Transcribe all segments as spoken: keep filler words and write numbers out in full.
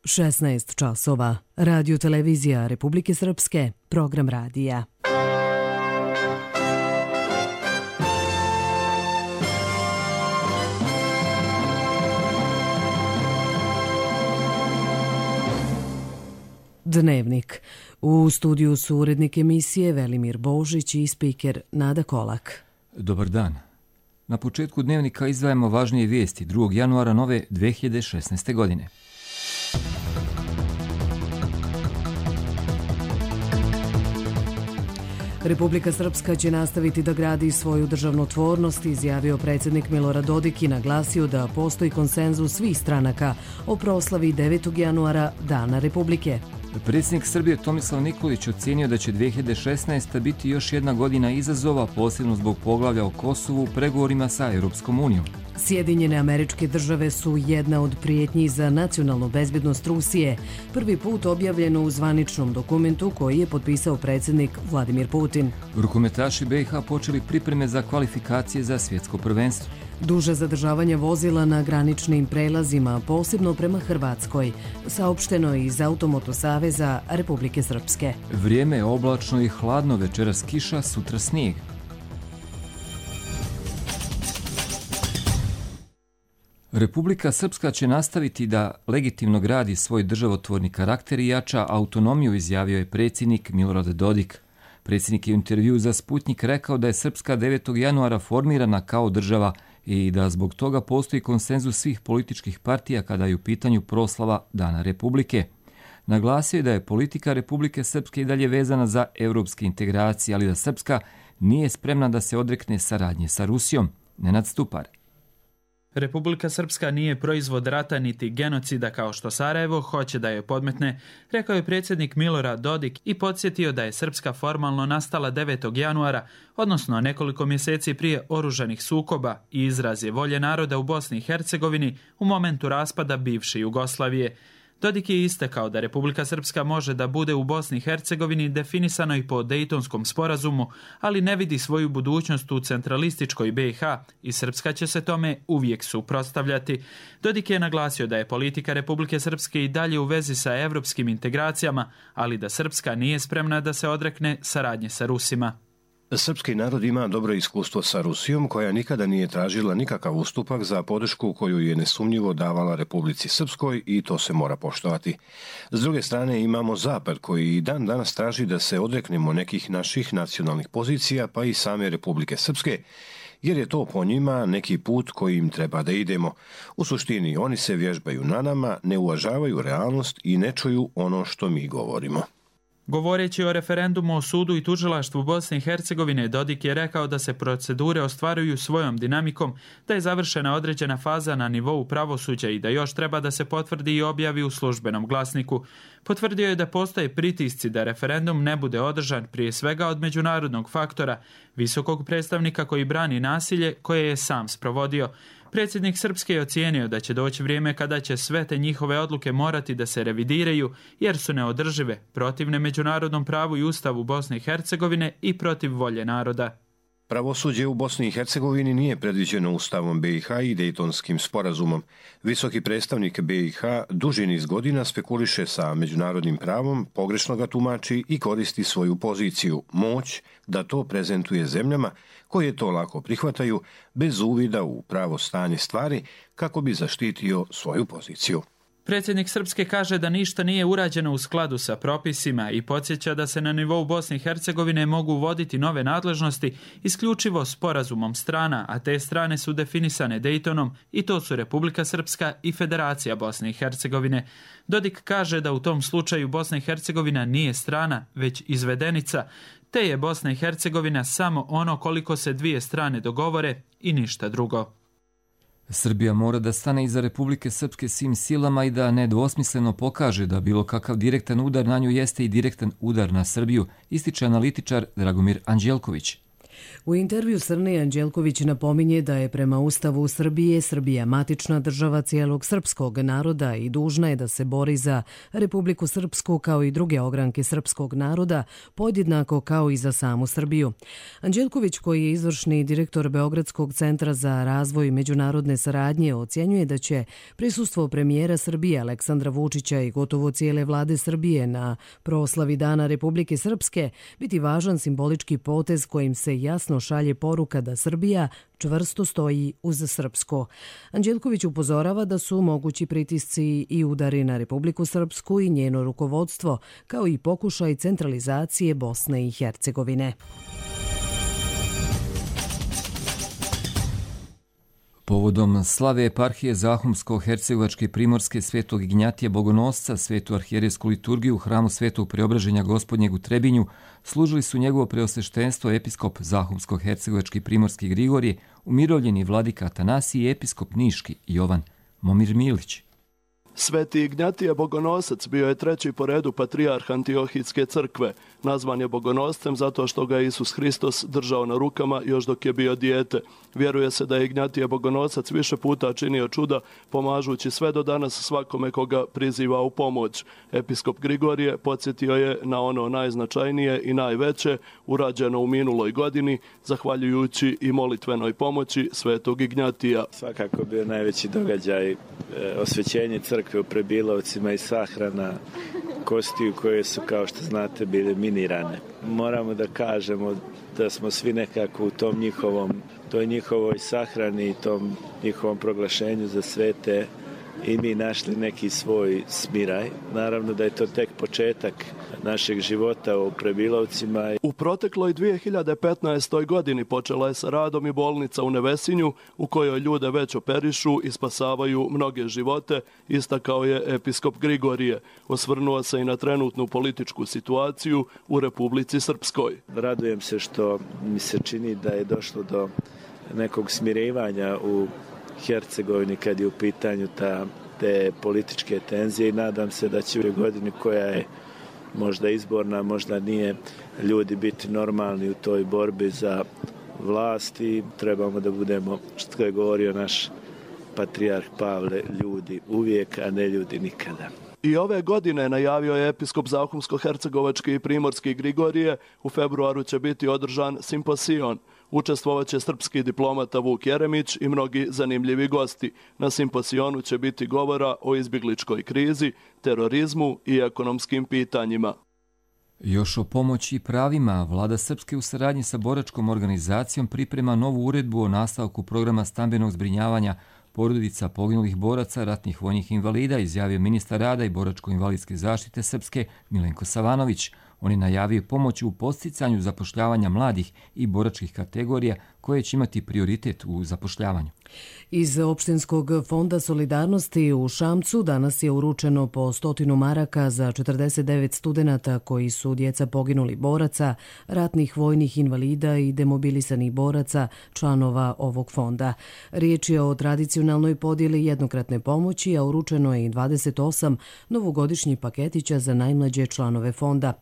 šesnaest časova. Radio televizija Republike Srpske, program radija. Dnevnik. U studiju su urednik emisije Velimir Božić i spiker Nada Kolak. Dobar dan. Na početku dnevnika izdvajamo važnije vijesti drugog januara nove dve hiljade šesnaeste. godine. Republika Srpska će nastaviti da gradi svoju državotvornost, izjavio predsjednik Milorad Dodik i naglasio da postoji konsenzus svih stranaka o proslavi devetog januara Dana Republike. Predsjednik Srbije Tomislav Nikolić ocenio da će dve hiljade šesnaesta. biti još jedna godina izazova, posebno zbog poglavlja o Kosovu u pregovorima sa Europskom unijom. Sjedinjene Američke Države su jedna od prijetnji za nacionalnu bezbednost Rusije, prvi put objavljeno u zvaničnom dokumentu koji je potpisao predsjednik Vladimir Putin. Rukometaši B i H počeli pripreme za kvalifikacije za svjetsko prvenstvo. Duže zadržavanje vozila na graničnim prelazima, posebno prema Hrvatskoj, saopšteno je iz Automoto saveza Republike Srpske. Vrijeme je oblačno i hladno, večeras kiša, sutra snijeg. Republika Srpska će nastaviti da legitimno gradi svoj državotvorni karakter i jača autonomiju, izjavio je predsjednik Milorad Dodik. Predsjednik je u intervjuu za Sputnjik rekao da je Srpska devetog januara formirana kao država i da zbog toga postoji konsenzus svih političkih partija kada je u pitanju proslava Dana Republike. Naglasio je da je politika Republike Srpske i dalje vezana za europske integracije, ali da Srpska nije spremna da se odrekne saradnje sa Rusijom. Nenad Stupar. Republika Srpska nije proizvod rata niti genocida kao što Sarajevo hoće da je podmetne, rekao je predsjednik Milorad Dodik i podsjetio da je Srpska formalno nastala devetog januara, odnosno nekoliko mjeseci prije oružanih sukoba, i izraz je volje naroda u Bosni i Hercegovini u momentu raspada bivše Jugoslavije. Dodik je istakao da Republika Srpska može da bude u Bosni i Hercegovini definisano i po Dejtonskom sporazumu, ali ne vidi svoju budućnost u centralističkoj B i H i Srpska će se tome uvijek suprotstavljati. Dodik je naglasio da je politika Republike Srpske i dalje u vezi sa evropskim integracijama, ali da Srpska nije spremna da se odrekne saradnje sa Rusima. Srpski narod ima dobro iskustvo sa Rusijom, koja nikada nije tražila nikakav ustupak za podršku koju je nesumnjivo davala Republici Srpskoj i to se mora poštovati. S druge strane imamo Zapad koji i dan danas traži da se odreknemo nekih naših nacionalnih pozicija, pa i same Republike Srpske, jer je to po njima neki put kojim treba da idemo. U suštini oni se vježbaju na nama, ne uvažavaju realnost i ne čuju ono što mi govorimo. Govoreći o referendumu o sudu i tužilaštvu Bosne i Hercegovine, Dodik je rekao da se procedure ostvaruju svojom dinamikom, da je završena određena faza na nivou pravosuđa i da još treba da se potvrdi i objavi u službenom glasniku. Potvrdio je da postoje pritisci da referendum ne bude održan, prije svega od međunarodnog faktora, visokog predstavnika koji brani nasilje koje je sam sprovodio. Predsjednik Srpske je ocijenio da će doći vrijeme kada će sve te njihove odluke morati da se revidiraju jer su neodržive, protivne međunarodnom pravu i ustavu Bosne i Hercegovine i protiv volje naroda. Pravosuđe u Bosni i Hercegovini nije predviđeno Ustavom B i H i Dejtonskim sporazumom. Visoki predstavnik B i H duži niz godina spekuliše sa međunarodnim pravom, pogrešno ga tumači i koristi svoju poziciju, moć, da to prezentuje zemljama koje to lako prihvataju bez uvida u pravo stanje stvari kako bi zaštitio svoju poziciju. Predsjednik Srpske kaže da ništa nije urađeno u skladu sa propisima i podsjeća da se na nivou Bosne i Hercegovine mogu uvoditi nove nadležnosti isključivo sporazumom strana, a te strane su definisane Dejtonom i to su Republika Srpska i Federacija Bosne i Hercegovine. Dodik kaže da u tom slučaju Bosna i Hercegovina nije strana, već izvedenica, te je Bosna i Hercegovina samo ono koliko se dvije strane dogovore i ništa drugo. Srbija mora da stane iza Republike Srpske svim silama i da nedvosmisleno pokaže da bilo kakav direktan udar na nju jeste i direktan udar na Srbiju, ističe analitičar Dragomir Anđelković. U intervju Srne Anđelković napominje da je prema Ustavu Srbije Srbija matična država cijelog srpskog naroda i dužna je da se bori za Republiku Srpsku kao i druge ogranke srpskog naroda, podjednako kao i za samu Srbiju. Anđelković, koji je izvršni direktor Beogradskog centra za razvoj međunarodne saradnje, ocjenjuje da će prisustvo premijera Srbije Aleksandra Vučića i gotovo cijele vlade Srbije na proslavi Dana Republike Srpske biti važan simbolički potez kojim se jasno šalje poruka da Srbija čvrsto stoji uz Srpsko. Anđelković upozorava da su mogući pritisci i udari na Republiku Srpsku i njeno rukovodstvo, kao i pokušaj centralizacije Bosne i Hercegovine. Povodom slave eparhije Zahumsko-Hercegovačke i Primorske Svetog Ignjatija Bogonosca, svetu arhijerejsku liturgiju u hramu Svetog Preobraženja Gospodnjeg u Trebinju, služili su njegovo preosveštenstvo episkop Zahumsko-Hercegovački i Primorski Grigorije, umirovljeni vladika Atanasij i episkop Niški Jovan Momir Milić. Sveti Ignjatije Bogonosac bio je treći po redu patrijarh Antiohijske crkve. Nazvan je Bogonoscem zato što ga je Isus Hristos držao na rukama još dok je bio dijete. Vjeruje se da je Ignjatije Bogonosac više puta činio čuda, pomažući sve do danas svakome koga priziva u pomoć. Episkop Grigorije podsjetio je na ono najznačajnije i najveće urađeno u minuloj godini, zahvaljujući i molitvenoj pomoći Svetog Ignjatija. Svakako bio najveći događaj e, osvećenje crkve u Prebilovcima i sahrana kostiju koje su, kao što znate, bile minirane. Moramo da kažemo da smo svi nekako u tom njihovom, toj njihovoj sahrani i tom njihovom proglašenju za svete i mi našli neki svoj smiraj. Naravno da je to tek početak našeg života u Prebilovcima. U protekloj dvije hiljade petnaestoj. godini počela je sa radom i bolnica u Nevesinju, u kojoj ljude već operišu i spasavaju mnoge živote, istakao je episkop Grigorije. Osvrnuo se i na trenutnu političku situaciju u Republici Srpskoj. Radujem se što mi se čini da je došlo do nekog smirivanja u Hercegovini kad je u pitanju ta, te političke tenzije i nadam se da će u godini koja je možda izborna, možda nije, ljudi biti normalni u toj borbi za vlast i trebamo da budemo, što je govorio naš patrijarh Pavle, ljudi uvijek, a ne ljudi nikada. I ove godine najavio je episkop Zahumsko-Hercegovački i Primorski Grigorije, u februaru će biti održan simposion. Učestvovaće srpski diplomata Vuk Jeremić i mnogi zanimljivi gosti. Na simposionu će biti govora o izbjegličkoj krizi, terorizmu i ekonomskim pitanjima. Još o pomoći i pravima, vlada Srpske u saradnji sa boračkom organizacijom priprema novu uredbu o nastavku programa stambenog zbrinjavanja porodica poginulih boraca, ratnih vojnih invalida, izjavio ministar rada i boračko-invalidske zaštite Srpske Milenko Savanović. On je najavio pomoć u podsticanju zapošljavanja mladih i boračkih kategorija koje će imati prioritet u zapošljavanju. Iz Opštinskog fonda solidarnosti u Šamcu danas je uručeno po stotinu maraka za četrdeset devet studenata koji su djeca poginulih boraca, ratnih vojnih invalida i demobilisanih boraca, članova ovog fonda. Riječ je o tradicionalnoj podjeli jednokratne pomoći, a uručeno je i dvadeset osam novogodišnjih paketića za najmlađe članove fonda.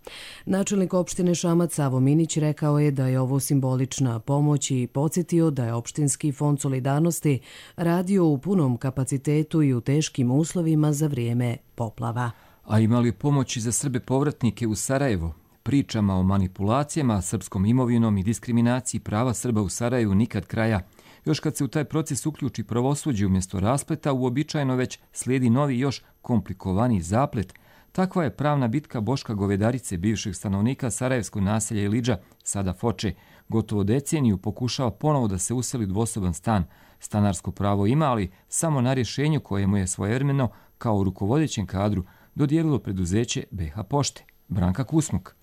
Načelnik opštine Šamac Savo Minić rekao je da je ovo simbolična pomoć i podsjetio da je Opštinski fond solidarnosti radio u punom kapacitetu i u teškim uslovima za vrijeme poplava. A imali pomoći za Srbe povratnike u Sarajevo? Pričama o manipulacijama, srpskom imovinom i diskriminaciji prava Srba u Sarajevu nikad kraja. Još kad se u taj proces uključi pravosuđe umjesto raspleta, uobičajeno već slijedi novi još komplikovaniji zaplet. Takva je pravna bitka Boška Govedarice, bivšeg stanovnika sarajevskog naselja Ilidža, sada Foče. Gotovo deceniju pokušava ponovo da se useli dvosoban stan. Stanarsko pravo ima, ali samo na rješenju koje mu je svojevremeno kao rukovodećem kadru dodijelilo preduzeće B H Pošte. Branka Kusmuk.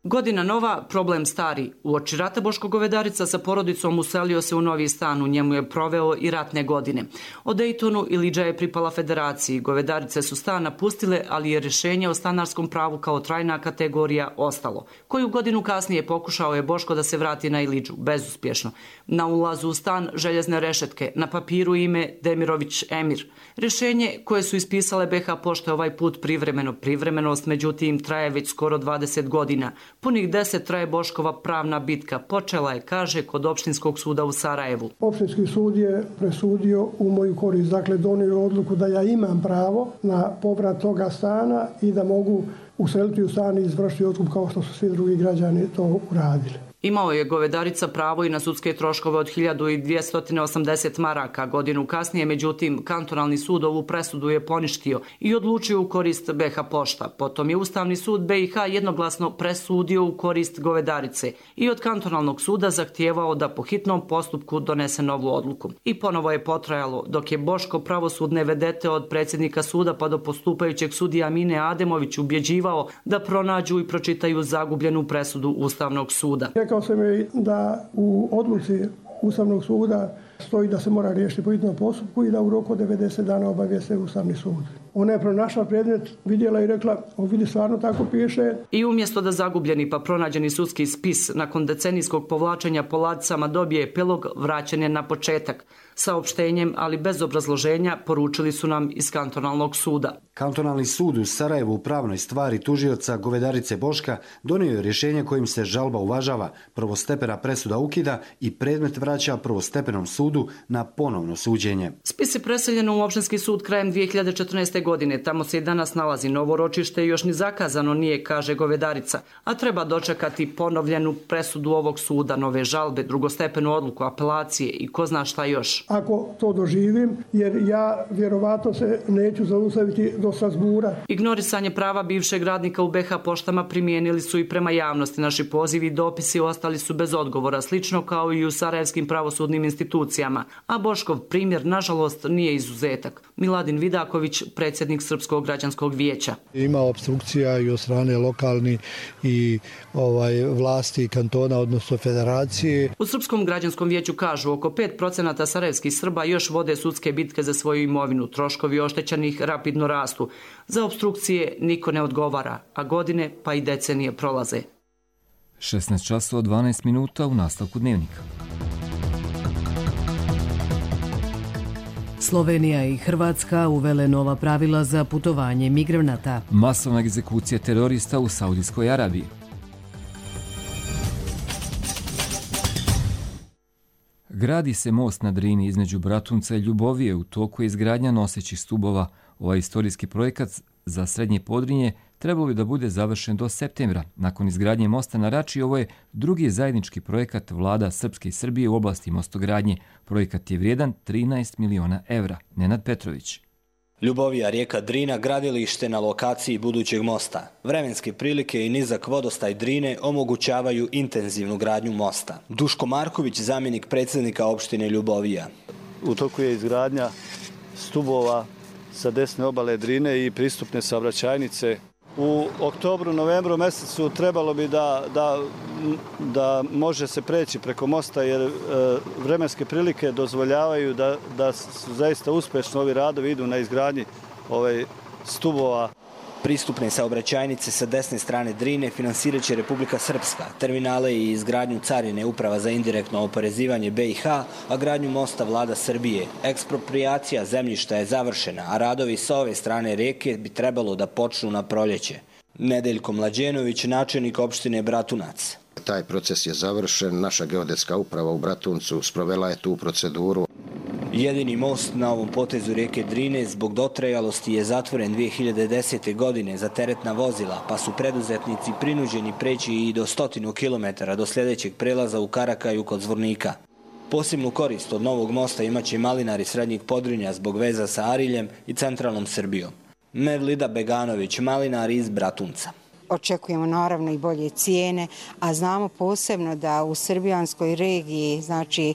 Godina nova, problem stari. Uoči rata Boško Govedarica sa porodicom uselio se u novi stan, u njemu je proveo i ratne godine. O Dejtonu Ilidža je pripala federaciji. Govedarice su stan napustile, ali je rješenje o stanarskom pravu kao trajna kategorija ostalo. Koju godinu kasnije pokušao je Boško da se vrati na Ilidžu, bezuspješno. Na ulazu u stan željezne rešetke, na papiru ime Demirović Emir. Rješenje koje su ispisale B H Pošte ovaj put privremeno. Privremenost, međutim, traje već skoro dvadeset godina. Punih deset traje Boškova pravna bitka. Počela je, kaže, kod Opštinskog suda u Sarajevu. Opštinski sud je presudio u moju korist. Dakle, donio odluku da ja imam pravo na povrat toga stana i da mogu useliti u stan i izvršiti otkup kao što su svi drugi građani to uradili. Imao je Govedarica pravo i na sudske troškove od hiljadu dvjesto osamdeset maraka. Godinu kasnije, međutim, kantonalni sud ovu presudu je poništio i odlučio u korist B H Pošta. Potom je Ustavni sud B i H jednoglasno presudio u korist Govedarice i od kantonalnog suda zahtijevao da po hitnom postupku donese novu odluku. I ponovo je potrajalo, dok je Boško pravosudne vedete od predsjednika suda pa do postupajućeg sudija Mine Ademović ubjeđivao da pronađu i pročitaju zagubljenu presudu Ustavnog suda. Rekao sam joj da u odluci Ustavnog suda stoji da se mora riješiti po hitnom postupku i da u roku od devedeset dana obavijeste Ustavni sud. Ona je pronašla predmet, vidjela i rekla, o vidi, stvarno tako piše. I umjesto da zagubljeni pa pronađeni sudski spis nakon decenijskog povlačenja po ladicama dobije epilog, vraćen je na početak. Saopštenjem, ali bez obrazloženja, poručili su nam iz kantonalnog suda. Kantonalni sud u Sarajevu u pravnoj stvari tužioca Govedarice Boška donio je rješenje kojim se žalba uvažava, prvostepena presuda ukida i predmet vraća prvostepenom sudu na ponovno suđenje. Spis je preseljen u Opštinski sud krajem dvije hiljade četrnaeste. godine. Tamo se i danas nalazi novo ročište i još ni zakazano nije, kaže Govedarica, a treba dočekati ponovljenu presudu ovog suda, nove žalbe, drugostepenu odluku, apelacije i ko zna šta još. Ako to doživim, jer ja vjerovatno se neću zaustaviti do Strasbura. Ignorisanje prava bivšeg radnika u B H Poštama primijenili su i prema javnosti. Naši pozivi i dopisi ostali su bez odgovora, slično kao i u sarajevskim pravosudnim institucijama. A Boškov primjer, nažalost, nije izuzetak. Miladin Vidaković, predsjednik Srpskog građanskog vijeća. Ima opstrukcija i od strane lokalni i ovaj vlasti kantona, odnosno federacije. U Srpskom građanskom vijeću kažu oko pet procenata sarajevskih Srba još vode sudske bitke za svoju imovinu. Troškovi oštećenih rapidno rastu. Za opstrukcije niko ne odgovara, a godine pa i decenije prolaze. šesnaest časova dvanaest minuta u nastavku dnevnika. Slovenija i Hrvatska uvele nova pravila za putovanje migranata. Masovna egzekucija terorista u Saudijskoj Arabiji. Gradi se most na Drini između Bratunca i Ljubovije. U toku je izgradnja nosećih stubova. Ovaj istorijski projekat za Srednje Podrinje trebalo bi da bude završen do septembra. Nakon izgradnje mosta na Rači, ovo je drugi zajednički projekat vlada Srpske i Srbije u oblasti mostogradnje. Projekat je vrijedan trinaest miliona evra. Nenad Petrović. Ljubovija, rijeka Drina, gradilište na lokaciji budućeg mosta. Vremenske prilike i nizak vodostaj Drine omogućavaju intenzivnu gradnju mosta. Duško Marković, zamjenik predsjednika opštine Ljubovija. U toku je izgradnja stubova sa desne obale Drine i pristupne saobraćajnice. U oktobru, novembru mjesecu trebalo bi da, da, da može se preći preko mosta, jer e, vremenske prilike dozvoljavaju da, da su zaista uspješno ovi radovi, idu na izgradnji ovaj stubova. Pristupne saobraćajnice sa desne strane Drine finansirat će Republika Srpska, terminale i izgradnju carine Uprava za indirektno oporezivanje B i H, a gradnju mosta vlada Srbije. Eksproprijacija zemljišta je završena, a radovi sa ove strane rijeke bi trebalo da počnu na proljeće. Nedeljko Mlađenović, načelnik opštine Bratunac. Taj proces je završen, naša geodetska uprava u Bratuncu sprovela je tu proceduru. Jedini most na ovom potezu rijeke Drine zbog dotrajalosti je zatvoren dvije hiljade desete. godine za teretna vozila, pa su preduzetnici prinuđeni preći i do stotinu kilometara do sljedećeg prelaza u Karakaju kod Zvornika. Posebnu korist od novog mosta imaće malinari Srednjeg Podrinja zbog veza sa Ariljem i centralnom Srbijom. Mevlida Beganović, malinar iz Bratunca. Očekujemo naravno i bolje cijene, a znamo posebno da u srbijanskoj regiji, znači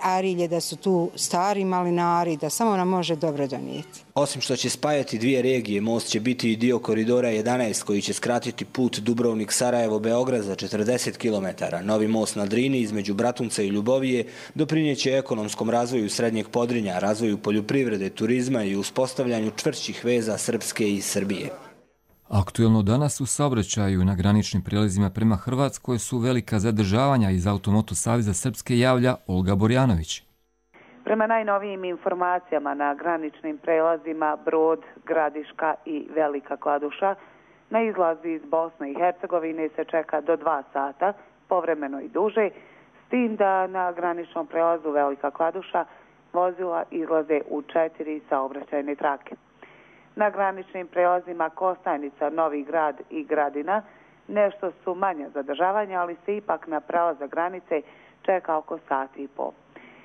Arilje, da su tu stari malinari, da samo nam može dobro donijeti. Osim što će spajati dvije regije, most će biti i dio koridora jedanaest koji će skratiti put Dubrovnik-Sarajevo-Beograd za četrdeset kilometara. Novi most na Drini između Bratunca i Ljubovije doprinijeće ekonomskom razvoju Srednjeg Podrinja, razvoju poljoprivrede, turizma i uspostavljanju čvršćih veza Srpske i Srbije. Aktuelno danas u saobraćaju na graničnim prijelazima prema Hrvatskoj su velika zadržavanja. Iz Automoto saveza Srpske javlja Olga Borjanović. Prema najnovijim informacijama na graničnim prelazima Brod, Gradiška i Velika Kladuša Na izlazi iz Bosne i Hercegovine se čeka do dva sata, povremeno i duže, s tim da na graničnom prelazu Velika Kladuša vozila izlaze u četiri saobraćajne trake. Na graničnim prelazima Kostajnica, Novi Grad i Gradina nešto su manja zadržavanja, ali se ipak na prelazak granice čeka oko sati i pol.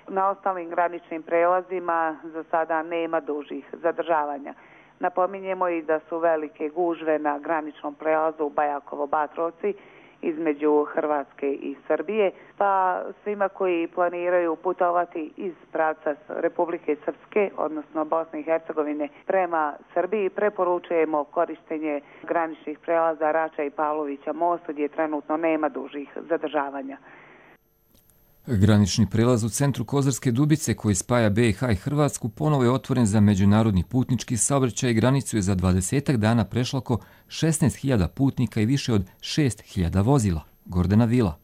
Na ostalim graničnim prelazima za sada nema dužih zadržavanja. Napominjemo i da su velike gužve na graničnom prelazu Bajakovo-Batrovci između Hrvatske i Srbije, pa svima koji planiraju putovati iz pravca Republike Srpske, odnosno Bosne i Hercegovine, prema Srbiji, preporučujemo korištenje graničnih prelaza Rača i Pavlovića most, gdje trenutno nema dužih zadržavanja. Granični prelaz u centru Kozarske Dubice koji spaja B i H i Hrvatsku ponovo je otvoren za međunarodni putnički saobraćaj i granicu je za dvadesetak dana prešlo oko šesnaest hiljada putnika i više od šest hiljada vozila. Gordana Vila.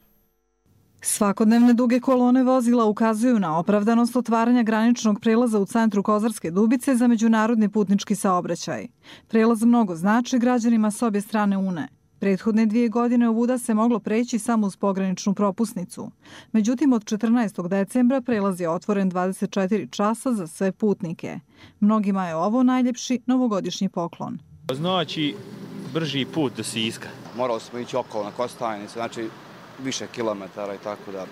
Svakodnevne duge kolone vozila ukazuju na opravdanost otvaranja graničnog prelaza u centru Kozarske Dubice za međunarodni putnički saobraćaj. Prelaz mnogo znači građanima s obje strane Une. Prethodne dvije godine ovuda se moglo preći samo uz pograničnu propusnicu. Međutim, od četrnaestog decembra prelaz je otvoren dvadeset četiri časa za sve putnike. Mnogima je ovo najljepši novogodišnji poklon. Znači, brži put do Siska. Morali smo ići okolo na Kostajnicu, znači više kilometara i tako da.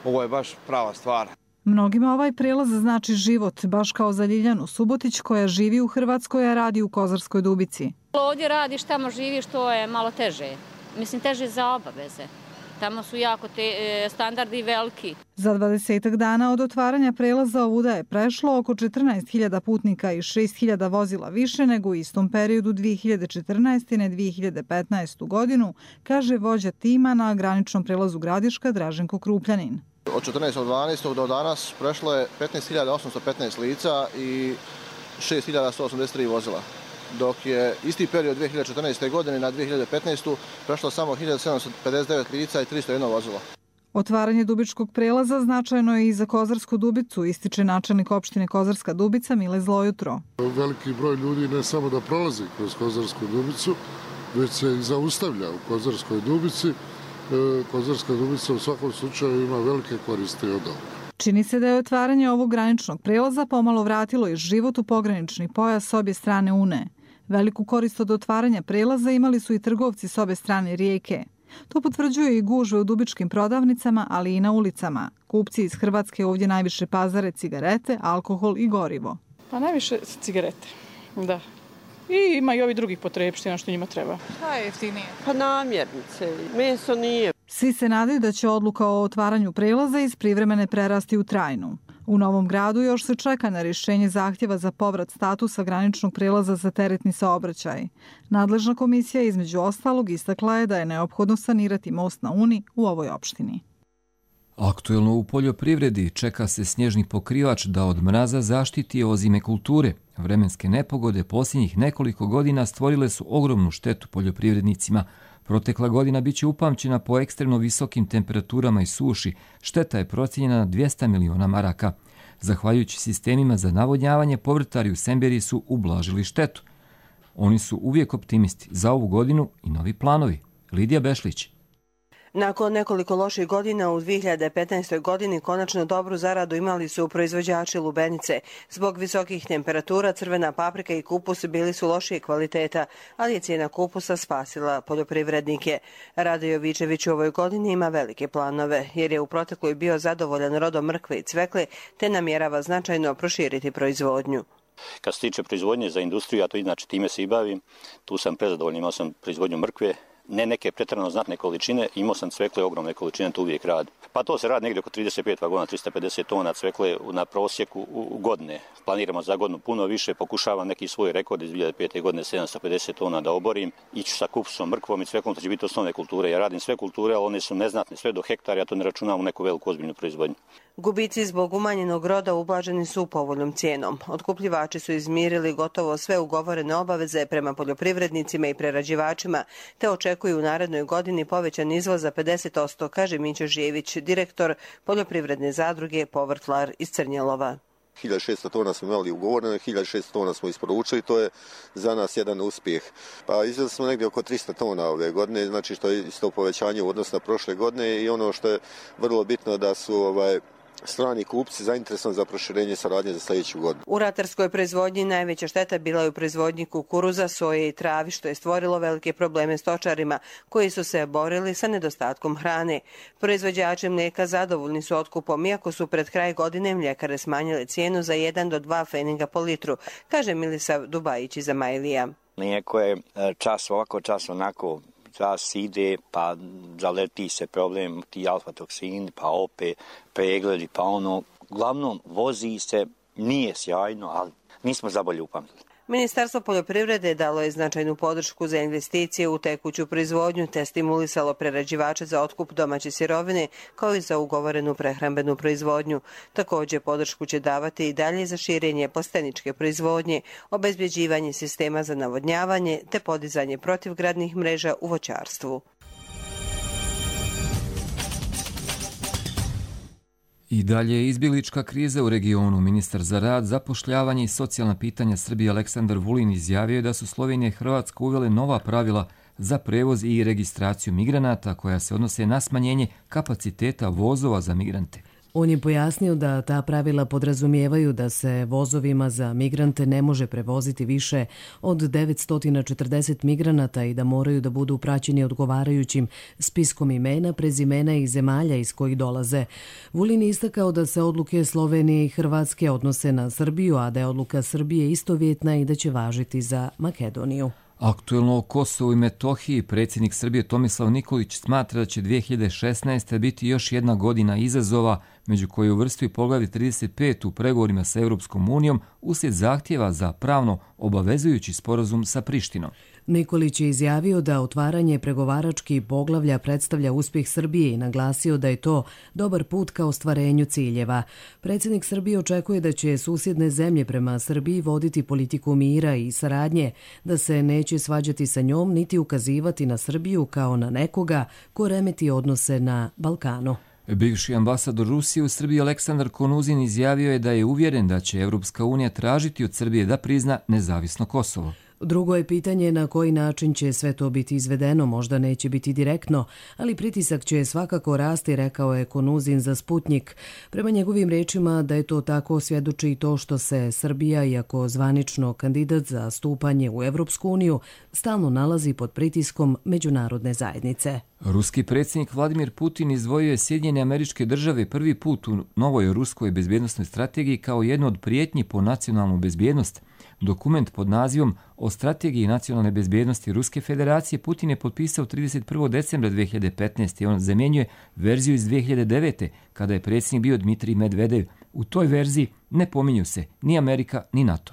Ovo je baš prava stvar. Mnogima ovaj prelaz znači život, baš kao za Ljiljanu Subotić koja živi u Hrvatskoj, a radi u Kozarskoj Dubici. Ovdje radiš, tamo živiš, to je malo teže. Mislim, teže za obaveze. Tamo su jako te, e, standardi veliki. Za dvadesetak dana od otvaranja prelaza ovuda je prešlo oko četrnaest hiljada putnika i šest hiljada vozila više nego u istom periodu dvije hiljade četrnaeste. na dvije hiljade petnaestu. godinu, kaže vođa tima na graničnom prelazu Gradiška Draženko Krupljanin. Od četrnaestog dvanaestog do danas prešlo je petnaest hiljada osamsto petnaest lica i šest hiljada sto osamdeset tri vozila, dok je isti period dvije hiljade četrnaeste. godine na dvije hiljade petnaestu. prešlo samo hiljadu sedamsto pedeset devet lica i tristo jedno vozilo. Otvaranje Dubičkog prelaza značajno je i za Kozarsku Dubicu, ističe načelnik opštine Kozarska Dubica Mile Zlojutro. Veliki broj ljudi ne samo da prolazi kroz Kozarsku Dubicu, već se i zaustavlja u Kozarskoj Dubici. Kozarska Dubica u svakom slučaju ima velike koristi od ovoga. Čini se da je otvaranje ovog graničnog prelaza pomalo vratilo i život u pogranični pojas s obje strane Une. Veliku korist od otvaranja prelaza imali su i trgovci s obje strane rijeke. To potvrđuje i gužve u dubičkim prodavnicama, ali i na ulicama. Kupci iz Hrvatske ovdje najviše pazare cigarete, alkohol i gorivo. Pa najviše cigarete, da. I ima i ovi drugih potrebština što njima treba. Šta je jeftinije? Pa namirnice, meso nije. Svi se nadaju da će odluka o otvaranju prelaza iz privremene prerasti u trajnu. U Novom Gradu još se čeka na rješenje zahtjeva za povrat statusa graničnog prelaza za teretni saobraćaj. Nadležna komisija između ostalog istakla je da je neophodno sanirati most na Uni u ovoj opštini. Aktuelno u poljoprivredi čeka se snježni pokrivač da od mraza zaštiti ozime kulture. Vremenske nepogode posljednjih nekoliko godina stvorile su ogromnu štetu poljoprivrednicima. Protekla godina biće upamćena po ekstremno visokim temperaturama i suši. Šteta je procijenjena na dvjesto miliona maraka. Zahvaljujući sistemima za navodnjavanje, povrtari u Semberiji su ublažili štetu. Oni su uvijek optimisti za ovu godinu i novi planovi. Lidija Bešlić. Nakon nekoliko loših godina u dvije hiljade petnaestoj. godini konačno dobru zaradu imali su proizvođači lubenice. Zbog visokih temperatura crvena paprika i kupus bili su lošije kvaliteta, ali je cijena kupusa spasila poljoprivrednike. Rade Jovičević u ovoj godini ima velike planove, jer je u protekloj bio zadovoljan rodom mrkve i cvekle, te namjerava značajno proširiti proizvodnju. Kad se tiče proizvodnje za industriju, ja to inače time se i bavim, tu sam prezadovoljan, imao sam proizvodnju mrkve, ne neke pretjerano znatne količine, imao sam cvekle ogromne količine, to uvijek radi. Pa to se radi negdje oko trideset pet vagona, tristo pedeset tona cvekle na prosjeku u godine. Planiramo za godinu puno više, pokušavam neki svoj rekord iz dvije hiljade pete. godine sedamsto pedeset tona da oborim. Iću sa kupusom, mrkvom i cveklom, to će biti osnovne kulture. Ja radim sve kulture, ali one su neznatne, sve do hektara, ja to ne računam u neku veliku ozbiljnu proizvodnju. Gubici zbog umanjenog roda ublaženi su povoljnom cijenom. Otkupljivači su izmirili gotovo sve ugovorene obaveze prema poljoprivrednicima i prerađivačima, te očekuju u narednoj godini povećan izvoz za pedeset posto, kaže Mićo Žijević, direktor poljoprivredne zadruge Povrtlar iz Crnjelova. hiljadu šesto tona smo imali ugovoreno, hiljadu šesto tona smo isporučili, to je za nas jedan uspjeh. Pa izvezli smo negdje oko trista tona ove godine, znači što je isto povećanje u odnosu na prošle godine i ono što je vrlo bitno da su ovaj, strani kupci zainteresovani za proširenje saradnje za sljedeću godinu. U ratarskoj proizvodnji najveća šteta bila je u proizvodnji kukuruza, soje i travi, što je stvorilo velike probleme stočarima, koji su se borili sa nedostatkom hrane. Proizvođači mlijeka zadovoljni su otkupom, iako su pred kraj godine mljekare smanjile cijenu za jedan do dva pfeninga po litru, kaže Milisav Dubajić iz Amajlija. Mlijeko je čas ovako, čas onako, čas ide, pa zaleti se problem, ti alfa-toksini, pa opet pregledi, pa ono, uglavnom vozi se, nije sjajno, ali nismo zabolje upamtili. Ministarstvo poljoprivrede dalo je značajnu podršku za investicije u tekuću proizvodnju te stimulisalo prerađivače za otkup domaće sirovine kao i za ugovorenu prehrambenu proizvodnju. Također podršku će davati i dalje za širenje plasteničke proizvodnje, obezbjeđivanje sistema za navodnjavanje te podizanje protivgradnih mreža u voćarstvu. I dalje je izbjeglička kriza u regionu. Ministar za rad, zapošljavanje i socijalna pitanja Srbije Aleksandar Vulin izjavio je da su Slovenija i Hrvatska uvele nova pravila za prevoz i registraciju migranata koja se odnose na smanjenje kapaciteta vozova za migrante. On je pojasnio da ta pravila podrazumijevaju da se vozovima za migrante ne može prevoziti više od devetsto četrdeset migranata i da moraju da budu praćeni odgovarajućim spiskom imena, prezimena i zemalja iz kojih dolaze. Vulin je istakao da se odluke Slovenije i Hrvatske odnose na Srbiju, a da je odluka Srbije istovjetna i da će važiti za Makedoniju. Aktuelno o Kosovu i Metohiji predsjednik Srbije Tomislav Nikolić smatra da će dvije hiljade šesnaeste. biti još jedna godina izazova, među koje uvrstuje poglavlje trideset pet u pregovorima sa Europskom unijom uslijed zahtjeva za pravno obavezujući sporazum sa Prištinom. Nikolić je izjavio da otvaranje pregovaračkih poglavlja predstavlja uspjeh Srbije i naglasio da je to dobar put ka ostvarenju ciljeva. Predsjednik Srbije očekuje da će susjedne zemlje prema Srbiji voditi politiku mira i saradnje, da se neće svađati sa njom niti ukazivati na Srbiju kao na nekoga ko remeti odnose na Balkanu. Bivši ambasador Rusije u Srbiji Aleksandar Konuzin izjavio je da je uvjeren da će Europska unija tražiti od Srbije da prizna nezavisno Kosovo. Drugo je pitanje na koji način će sve to biti izvedeno, možda neće biti direktno, ali pritisak će svakako rasti, rekao je Konuzin za Sputnik. Prema njegovim rečima da je to tako svjedoči i to što se Srbija, iako zvanično kandidat za stupanje u Evropsku uniju, stalno nalazi pod pritiskom međunarodne zajednice. Ruski predsjednik Vladimir Putin izdvojio je Sjedinjene Američke Države prvi put u novoj ruskoj bezbjednosnoj strategiji kao jednu od prijetnji po nacionalnu bezbjednost. Dokument pod nazivom o strategiji nacionalne bezbjednosti Ruske federacije Putin je potpisao trideset prvog decembra dvije hiljade petnaeste. i on zamjenjuje verziju iz dvije hiljade devete. kada je predsjednik bio Dmitrij Medvedev. U toj verziji ne pominju se ni Amerika ni NATO.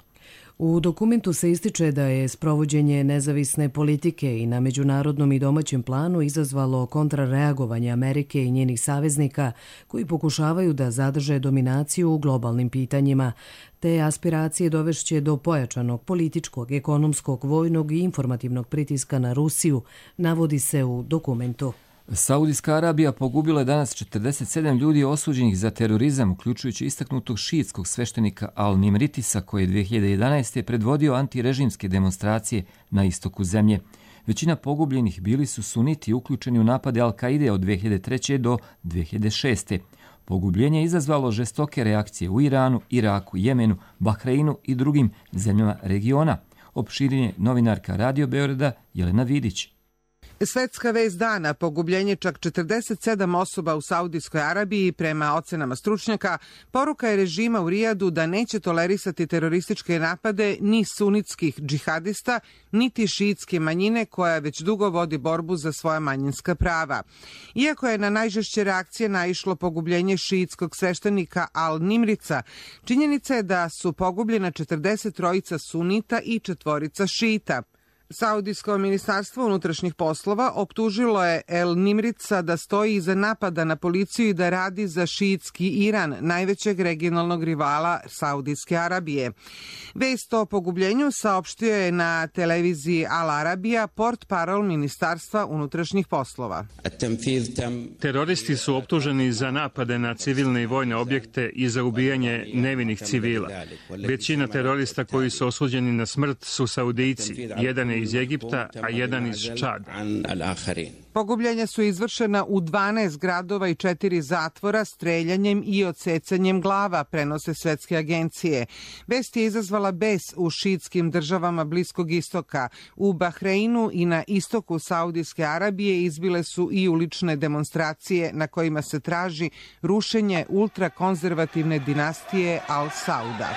U dokumentu se ističe da je sprovođenje nezavisne politike i na međunarodnom i domaćem planu izazvalo kontrareagovanje Amerike i njenih saveznika koji pokušavaju da zadrže dominaciju u globalnim pitanjima. Te aspiracije dovešće do pojačanog političkog, ekonomskog, vojnog i informativnog pritiska na Rusiju, navodi se u dokumentu. Saudijska Arabija pogubila je danas četrdeset sedam ljudi osuđenih za terorizam, uključujući istaknutog šiitskog sveštenika Al-Nimritisa koji je dvije hiljade jedanaeste. predvodio antirežimske demonstracije na istoku zemlje. Većina pogubljenih bili su suniti uključeni u napade Al-Kaide od dvije hiljade treće. do dvije hiljade šeste. Pogubljenje je izazvalo žestoke reakcije u Iranu, Iraku, Jemenu, Bahreinu i drugim zemljama regiona. Opširenje novinarka Radio Beograda Jelena Vidić. Svetska vest dana, pogubljenje čak četrdeset sedam osoba u Saudijskoj Arabiji prema ocenama stručnjaka, poruka je režima u Rijadu da neće tolerisati terorističke napade ni sunitskih džihadista, niti šiitske manjine koja već dugo vodi borbu za svoja manjinska prava. Iako je na najžešće reakcije naišlo pogubljenje šiitskog sveštenika Al-Nimrica, činjenica je da su pogubljena četrdeset trojica sunita i četvorica šiita. Saudijsko ministarstvo unutrašnjih poslova optužilo je El Nimrica da stoji iza napada na policiju i da radi za šiitski Iran, najvećeg regionalnog rivala Saudijske Arabije. Vest o pogubljenju saopštio je na televiziji Al Arabija portparol ministarstva unutrašnjih poslova. Teroristi su optuženi za napade na civilne i vojne objekte i za ubijanje nevinih civila. Većina terorista koji su osuđeni na smrt su Saudijci, jedan je iz Egipta, a jedan iz Čada. Pogubljenja su izvršena u dvanaest gradova i četiri zatvora streljanjem i odsecanjem glava, prenose svetske agencije. Vest je izazvala bes u šiitskim državama Bliskog istoka. U Bahreinu i na istoku Saudijske Arabije izbile su i ulične demonstracije na kojima se traži rušenje ultrakonzervativne dinastije Al Sauda.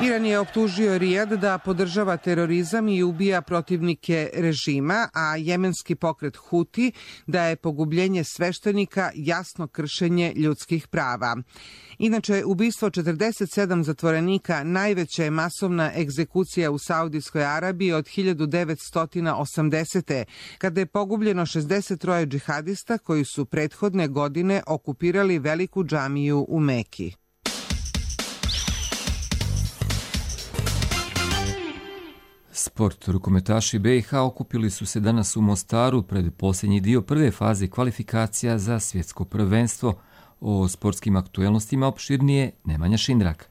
Iran je optužio Rijad da podržava terorizam i ubija protivnike režima, a jemenski pokret Huti da je pogubljenje sveštenika jasno kršenje ljudskih prava. Inače, ubistvo četrdeset sedam zatvorenika najveća je masovna egzekucija u Saudijskoj Arabiji od hiljadu devetsto osamdesete. kada je pogubljeno šezdeset troje džihadista koji su prethodne godine okupirali veliku džamiju u Meki. Sport. Rukometaši B i H okupili su se danas u Mostaru pred posljednji dio prve faze kvalifikacija za svjetsko prvenstvo. O sportskim aktuelnostima opširnije Nemanja Šindrak.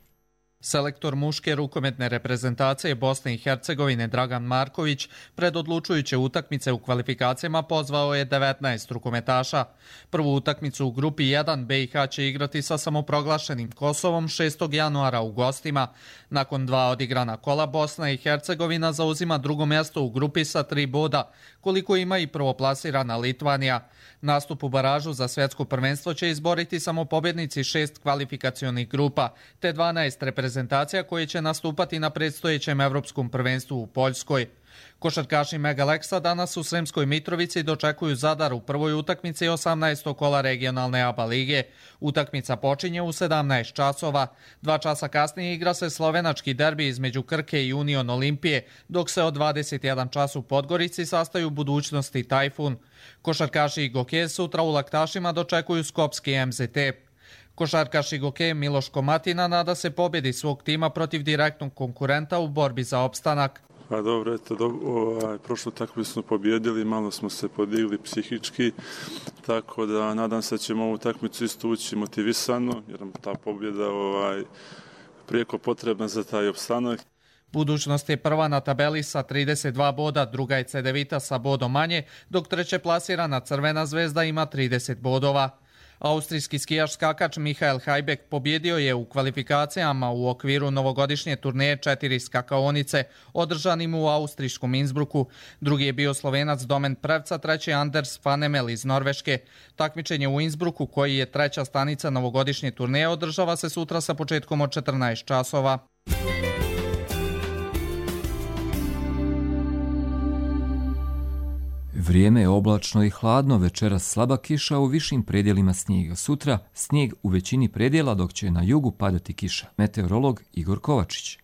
Selektor muške rukometne reprezentacije Bosne i Hercegovine Dragan Marković pred odlučujuće utakmice u kvalifikacijama pozvao je devetnaest rukometaša. Prvu utakmicu u grupi jedan B i H će igrati sa samoproglašenim Kosovom šestog januara u gostima. Nakon dva odigrana kola Bosna i Hercegovina zauzima drugo mjesto u grupi sa tri boda, koliko ima i prvoplasirana Litvanija. Nastup u baražu za svjetsko prvenstvo će izboriti samo pobjednici šest kvalifikacionih grupa, te dvanaest reprezentacija koje će nastupati na predstojećem evropskom prvenstvu u Poljskoj. Košarkaši Megaleksa danas u Sremskoj Mitrovici dočekuju Zadar u prvoj utakmici osamnaestog kola regionalne A B A lige. Utakmica počinje u sedamnaest časova. Dva časa kasnije igra se slovenački derbi između Krke i Union Olimpije, dok se od dvadeset jedan čas u Podgorici sastaju Budućnost i Tajfun. Košarkaši i Goke sutra u Laktašima dočekuju Skopski M Z T. Košarkaš Goke Miloš Komatina nada se pobjedi svog tima protiv direktnog konkurenta u borbi za opstanak. Pa dobro, eto, do, ovaj, prošlu utakmicu smo pobjedili, malo smo se podigli psihički, tako da nadam se da ćemo ovu utakmicu isto ući motivisano, jer nam ta pobjeda ovaj, prijeko potrebna za taj opstanak. Budućnost je prva na tabeli sa trideset dva boda, druga je Cedevita sa bodom manje, dok treće plasirana Crvena zvezda ima trideset bodova. Austrijski skijaš skakač Michael Hajbek pobjedio je u kvalifikacijama u okviru novogodišnje turneje četiri skakaonice, održanim u austrijskom Innsbrucku. Drugi je bio Slovenac Domen Prevca, treći Anders Fanemel iz Norveške. Takmičenje u Innsbrucku, koji je treća stanica novogodišnje turneje, održava se sutra sa početkom od četrnaest časova. Vrijeme je oblačno i hladno, večeras slaba kiša, u višim predjelima snijega. Sutra snijeg u većini predjela, dok će na jugu padati kiša. Meteorolog Igor Kovačić.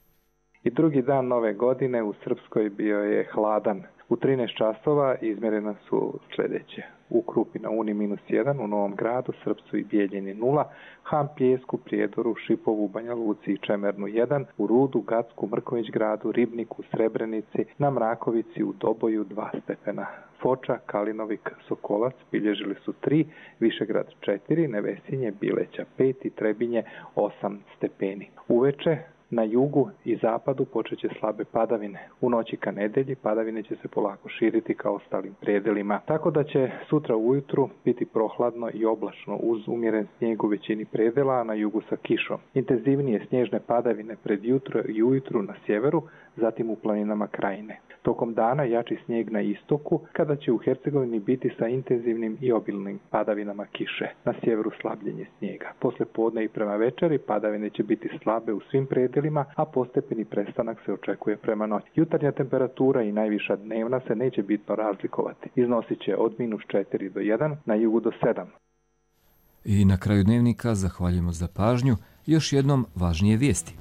I drugi dan nove godine u Srpskoj bio je hladan. U trinaest časova izmjerena su sljedeće. U Krupi na Uni minus jedan, u Novom Gradu, Srpcu i Bijeljini nula, Han Pljesku, Prijedoru, Šipovu, Banja Luci i Čemernu jedan, u Rudu, Gacku, Mrković Gradu, Ribniku, Srebrenici, na Mrakovici, u Doboju dva stepena. Foča, Kalinovik, Sokolac bilježili su tri, Višegrad četiri, Nevesinje, Bileća pet i Trebinje osam stepeni. Uveče na jugu i zapadu počet će slabe padavine. U noći ka nedelji padavine će se polako širiti ka ostalim predelima. Tako da će sutra ujutru biti prohladno i oblačno uz umjeren snijeg u većini predela, a na jugu sa kišom. Intenzivnije snježne padavine pred jutro i ujutru na sjeveru, zatim u planinama Krajine. Tokom dana jači snijeg na istoku, kada će u Hercegovini biti sa intenzivnim i obilnim padavinama kiše. Na sjeveru slabljenje snijega. Posle podne i prema večeri padavine će biti slabe u svim predelima, a postepeni prestanak se očekuje prema noći. Jutarnja temperatura i najviša dnevna se neće bitno razlikovati. Iznosit će od minus četiri do jedan, na jugu do sedam. I na kraju dnevnika zahvaljujemo za pažnju. Još jednom važnije vijesti.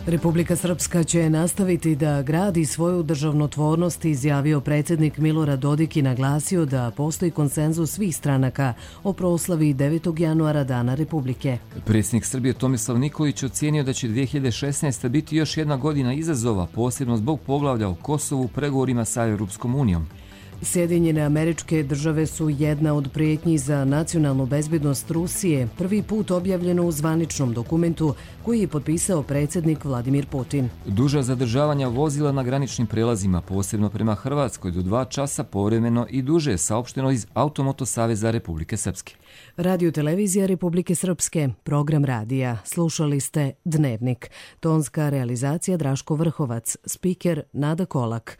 Republika Srpska će nastaviti da gradi svoju državnotvornost, izjavio predsjednik Milorad Dodik i naglasio da postoji konsenzus svih stranaka o proslavi devetog januara Dana Republike. Predsjednik Srbije Tomislav Nikolić ocijenio da će dvije hiljade šesnaeste. biti još jedna godina izazova, posebno zbog poglavlja o Kosovu u pregovorima sa Europskom unijom. Sjedinjene Američke Države su jedna od prijetnji za nacionalnu bezbednost Rusije, prvi put objavljeno u zvaničnom dokumentu koji je potpisao predsjednik Vladimir Putin. Duža zadržavanja vozila na graničnim prelazima, posebno prema Hrvatskoj, do dva časa povremeno i duže, saopšteno iz Automoto saveza Republike Srpske. Radio televizija Republike Srpske, program radija. Slušali ste Dnevnik. Tonska realizacija Draško Vrhovac, spiker Nada Kolak.